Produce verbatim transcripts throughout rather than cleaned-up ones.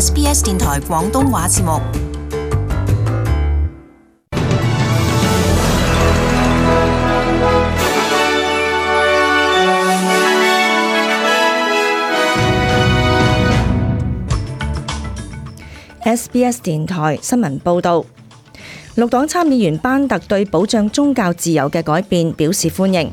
S B S 電台廣東話節目。S B S 電台新聞報導，綠黨參議員班特對保障宗教自由嘅改變表示歡迎。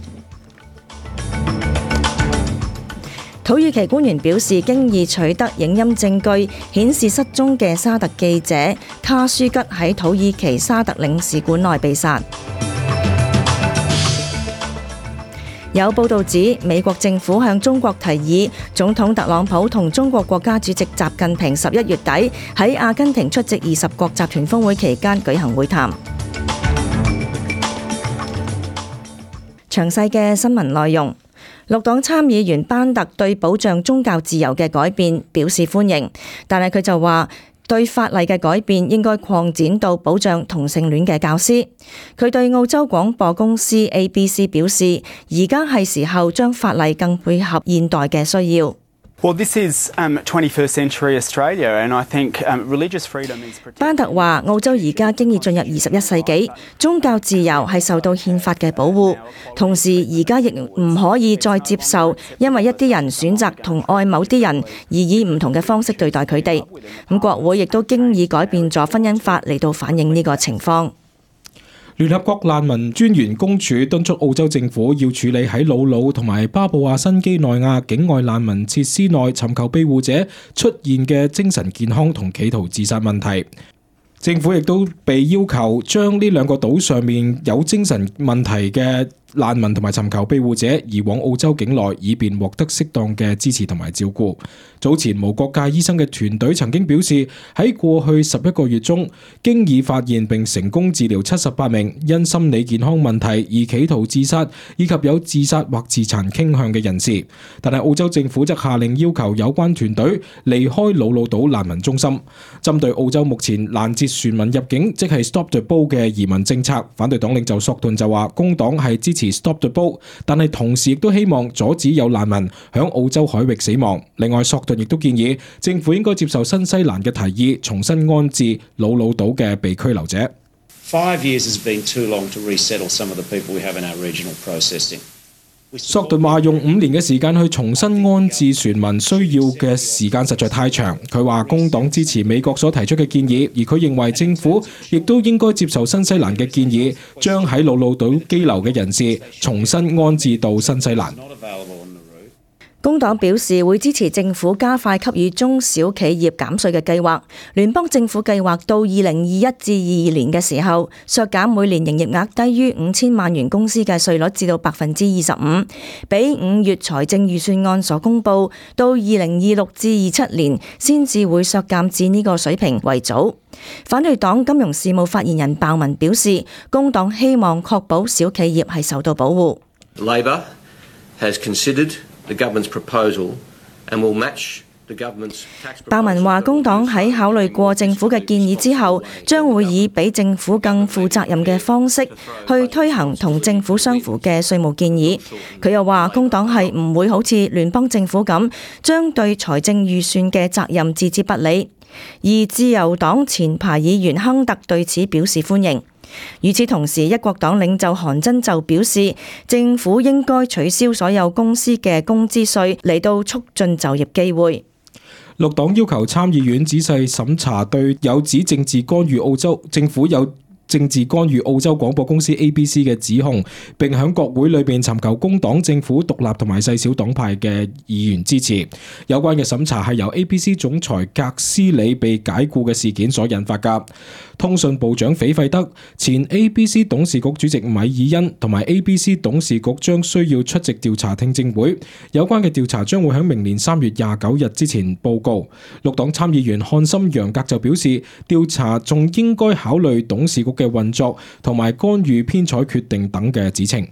土耳其官員表示，經已取得影音證據，顯示失蹤嘅沙特記者卡舒吉喺土耳其沙特領事館內被殺。有報道指，美國政府向中國提議，總統特朗普同中國國家主席習近平十一月底喺阿根廷出席二十國集團峰會期間舉行會談。詳細嘅新聞內容，綠黨參議員班特對保障宗教自由嘅改變表示歡迎，但係佢就話，對法例嘅改變應該擴展到保障同性戀嘅教師。佢對澳洲廣播公司 A B C 表示，而家係時候將法例更配合現代嘅需要。Well, this is um, twenty-first century Australia, and I think um, religious freedom is protected. 班特話：澳洲而家經已進入二十一世紀，宗教自由係受到憲法嘅保護。同時，而家亦唔可以再接受因為一啲人選擇同愛某啲人而以唔同嘅方式對待佢哋。咁國會亦都經已改變咗婚姻法嚟到反映呢個情況。聯合國難民專員公署敦促澳洲政府要處理喺魯魯同埋巴布亞新幾內亞境外難民設施內尋求庇護者出現嘅精神健康同企圖自殺問題。政府亦都被要求將呢兩個島上面有精神問題嘅難民同埋尋求庇護者移往澳洲境內，以便獲得適當嘅支持同埋照顧。早前無國界醫生嘅團隊曾經表示，喺過去十一個月中，經已發現並成功治療七十八名因心理健康問題而企圖自殺以及有自殺或自殘傾向嘅人士。但係澳洲政府則下令要求有關團隊離開魯魯島難民中心。針對澳洲目前攔截船民入境，即係 Stop the Boat 嘅移民政策，反對黨領袖索頓就話，工黨係支持Stop the Boat， 但係同時亦都希望阻止有難民響澳洲海域死亡。另外，索頓亦都建議政府應該接受新西蘭嘅提議，重新安置魯魯島嘅被拘留者。Five years has been too long to resettle some of the people we have in our regional processing。索頓話用五年嘅時間去重新安置船民需要嘅時間實在太長。佢話工黨支持美國所提出嘅建議，而佢認為政府亦都應該接受新西蘭嘅建議，將喺魯魯島羈留嘅人士重新安置到新西蘭。工黨表示會支持政府加快給予中小企業減稅嘅計劃。聯邦政府計劃到二零二一至二二年嘅時候，削減每年營業額低於五千萬元公司嘅稅率至到百分之二十五，比五月財政預算案所公佈到二零二六至二七年先至會削減至呢個水平為早。反對黨金融事務發言人鮑文表示，工黨希望確保小企業係受到保護。Labor has considered the government's proposal and will match the government's tax proposal。 鮑文話工黨喺考慮過政府嘅建議之後，將會以比政府更負責任嘅方式去推行同政府相符嘅稅務建議。佢又話工黨係唔會好似聯邦政府咁，將對財政預算嘅責任置之不理。而自由黨前排議員亨特對此表示歡迎。與此同時，一國黨領袖韓真就表示，政府應該取消所有公司嘅工資稅嚟到促進就業機會。綠黨要求參議院仔細審查對有指政治干預澳洲政府有政治干預澳洲廣播公司 A B C 嘅指控，並喺國會裏邊尋求工黨政府獨立同埋細小黨派嘅議員支持。有關嘅審查係由 A B C 總裁格斯里被解雇嘅事件所引發㗎。通訊部長斐費德、前 A B C 董事局主席米爾恩同埋 A B C 董事局將需要出席調查聽證會。有關嘅調查將會喺明年三月廿九日之前報告。綠黨參議員漢森楊格就表示，調查仲應該考慮董事局嘅運作同埋干預編採決定等嘅指稱。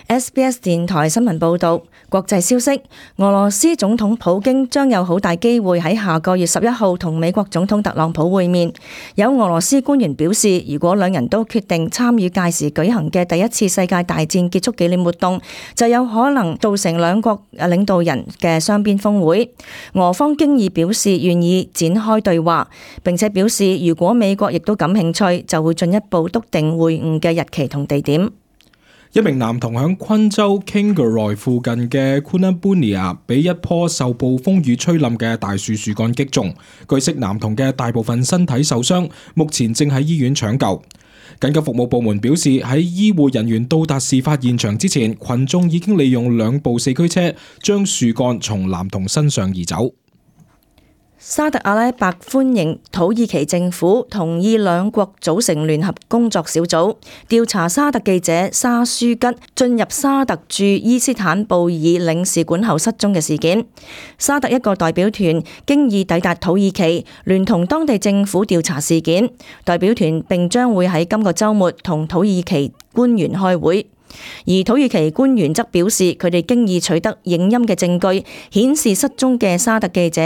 S B S 電台新聞報導，國際消息，俄羅斯總統普京將有好大機會喺下個月十一號同美國總統特朗普會面。有俄羅斯官員表示，如果兩人都決定參與屆時舉行嘅第一次世界大戰結束紀念活動，就有可能造成兩國領導人嘅雙邊峰會。俄方經已表示願意展開對話，並且表示如果美國亦都感興趣，就會進一步篤定會晤嘅日期同地點。一名男童響昆州 Kingaroy 附近嘅 Coonaboomia 被一棵受暴風雨吹冧嘅大樹樹幹擊中，據悉男童嘅大部分身體受傷，目前正喺醫院搶救。緊急服務部門表示，喺醫護人員到達事發現場之前，群眾已經利用兩部四驅車將樹幹從男童身上移走。沙特阿拉伯歡迎土耳其政府同意兩國組成聯合工作小組，調查沙特記者沙舒吉進入沙特駐伊斯坦布爾領事館後失蹤嘅事件。沙特一個代表團經已抵達土耳其，聯同當地政府調查事件。代表團並將會喺今個週末同土耳其官員開會。而土耳其官員則表示，佢哋經已取得影音嘅證據，顯示失蹤嘅沙特記者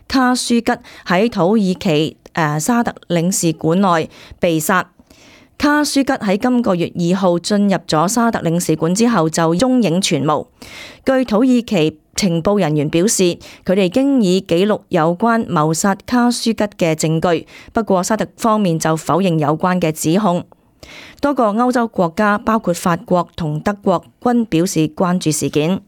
卡舒吉喺土耳其誒、呃、沙特領事館內被殺。卡舒吉喺今個月二號進入咗沙特領事館之後就蹤影全無。據土耳其情報人員表示，佢哋經已記錄有關謀殺卡舒吉嘅證據，不過沙特方面就否認有關嘅指控。多個歐洲國家，包括法國同德國，均表示關注事件。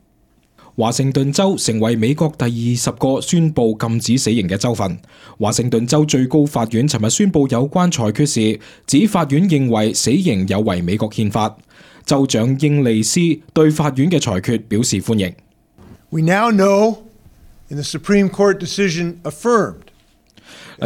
華盛頓州成為美國第二十個宣布禁止死刑嘅州份。華盛頓州最高法院尋日宣布有關裁決時，指法院認為死刑有違美國憲法。州長英利斯對法院嘅裁決表示歡迎。We now know in the Supreme Court decision affirmed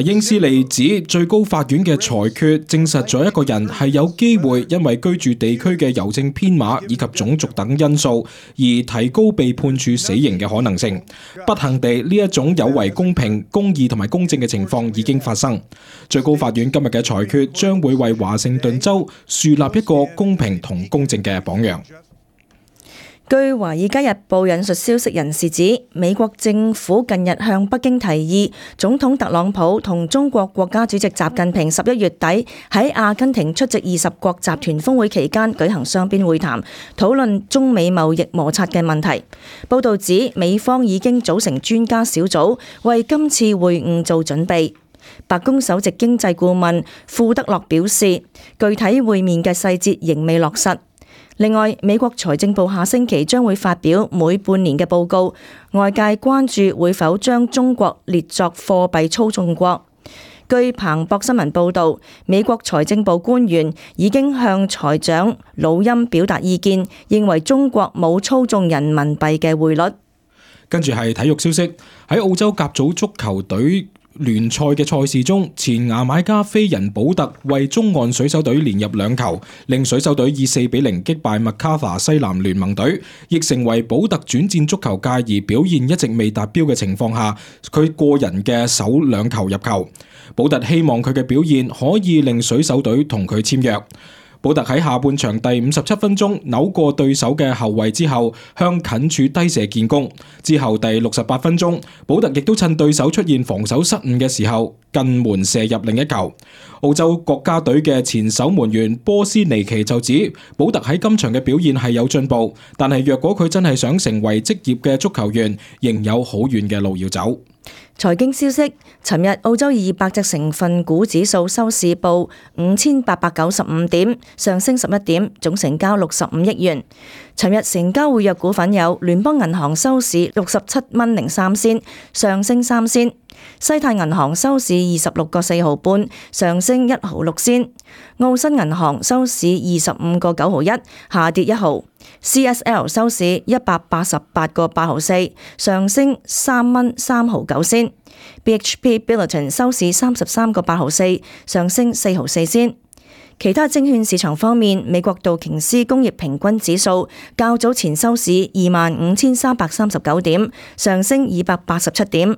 英斯利指最高法院嘅裁決證實咗一個人係有機會因為居住地區嘅郵政編碼以及種族等因素而提高被判處死刑嘅可能性。不幸地，呢一種有違公平、公義同埋公正嘅情況已經發生。最高法院今日嘅裁決將會為華盛頓州樹立一個公平同公正嘅榜樣。據《華爾街日報》引述消息人士指，美國政府近日向北京提議，總統特朗普同中國國家主席習近平十一月底喺阿根廷出席二十國集團峰會期間舉行雙邊會談，討論中美貿易摩擦嘅問題。報導指，美方已經組成專家小組，為今次會晤做準備。白宮首席經濟顧問庫德洛表示，具體會面嘅細節仍未落實。另外，美國財政部下星期將會發表每半年嘅報告，外界關注會否將中國列作貨幣操縱國。據彭博新聞報導，美國財政部官員已經向財長魯欽表達意見，認為中國冇操縱人民幣嘅匯率。跟住係體育消息，喺澳洲甲組足球隊聯賽嘅賽事中，前牙買加飛人保特為中岸水手隊連入兩球，令水手隊以四比零擊敗麥卡法西南聯盟隊，亦成為保特轉戰足球界而表現一直未達標嘅情況下，佢個人嘅首兩球入球。保特希望佢嘅表現可以令水手隊同佢簽約。保特喺下半場第五十七分鐘扭過對手嘅後衛之後，向近處低射建功。之後第六十八分鐘，保特亦都趁對手出現防守失誤嘅時候，近門射入另一球。澳洲國家隊嘅前守門員波斯尼奇就指，保特喺今場嘅表現係有進步，但係若果佢真係想成為職業嘅足球員，仍有好遠嘅路要走。財經消息，尋日澳洲二百隻成分股指數收市報五千八百九十五點，上升十一點，總成交六十五億元。尋日成交活躍股份有聯邦銀行收市六十七蚊零三仙，上升三仙；西泰銀行收市二十六個四毫半，上升一毫六仙；澳新銀行收市二十五個九毫一，下跌一毫。C S L 收市一百八十八個八毫四，上升三蚊三毫九仙。B H P Billiton 收市三十三個八毫四，上升四毫四仙。其他證券市場方面，美國道瓊斯工業平均指數較早前收市二萬五千三百三十九點，上升二百八十七點。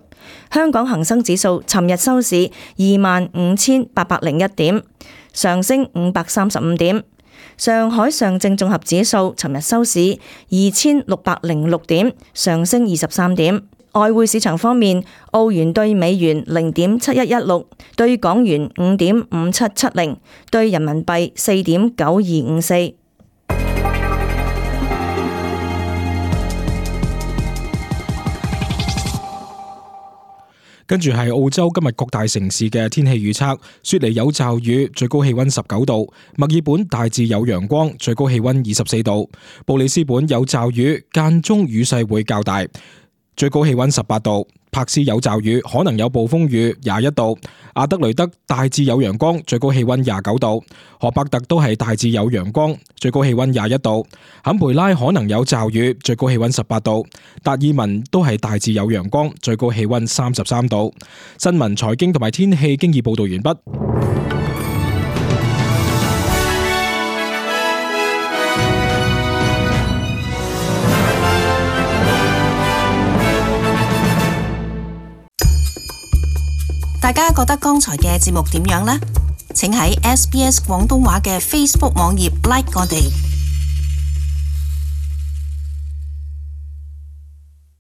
香港恒生指數尋日收市二萬五千八百零一點，上升五百三十五點。上海上證綜合指數尋日收市二千六百零六點，上升二十三點。外匯市場方面，澳元對美元零點七一一六，對港元五點五七七零，對人民幣四點九二五四。跟住係澳洲今日各大城市嘅天氣預測：雪梨有驟雨，最高氣溫十九度；墨爾本大致有陽光，最高氣溫二十四度；布里斯本有驟雨，間中雨勢會較大，最高氣溫十八度；柏斯有驟雨，可能有暴風雨，廿一度；阿德雷德大致有陽光，最高氣溫廿九度；荷伯特都係大致有陽光，最高氣溫廿一度；坎培拉可能有驟雨，最高氣溫十八度；達爾文都係大致有陽光，最高氣溫三十三度。新聞、財經同埋天氣經已報道完畢。大家覺得剛才嘅節目點樣呢？請喺 S B S 廣東話嘅 Facebook 網頁 like 我哋。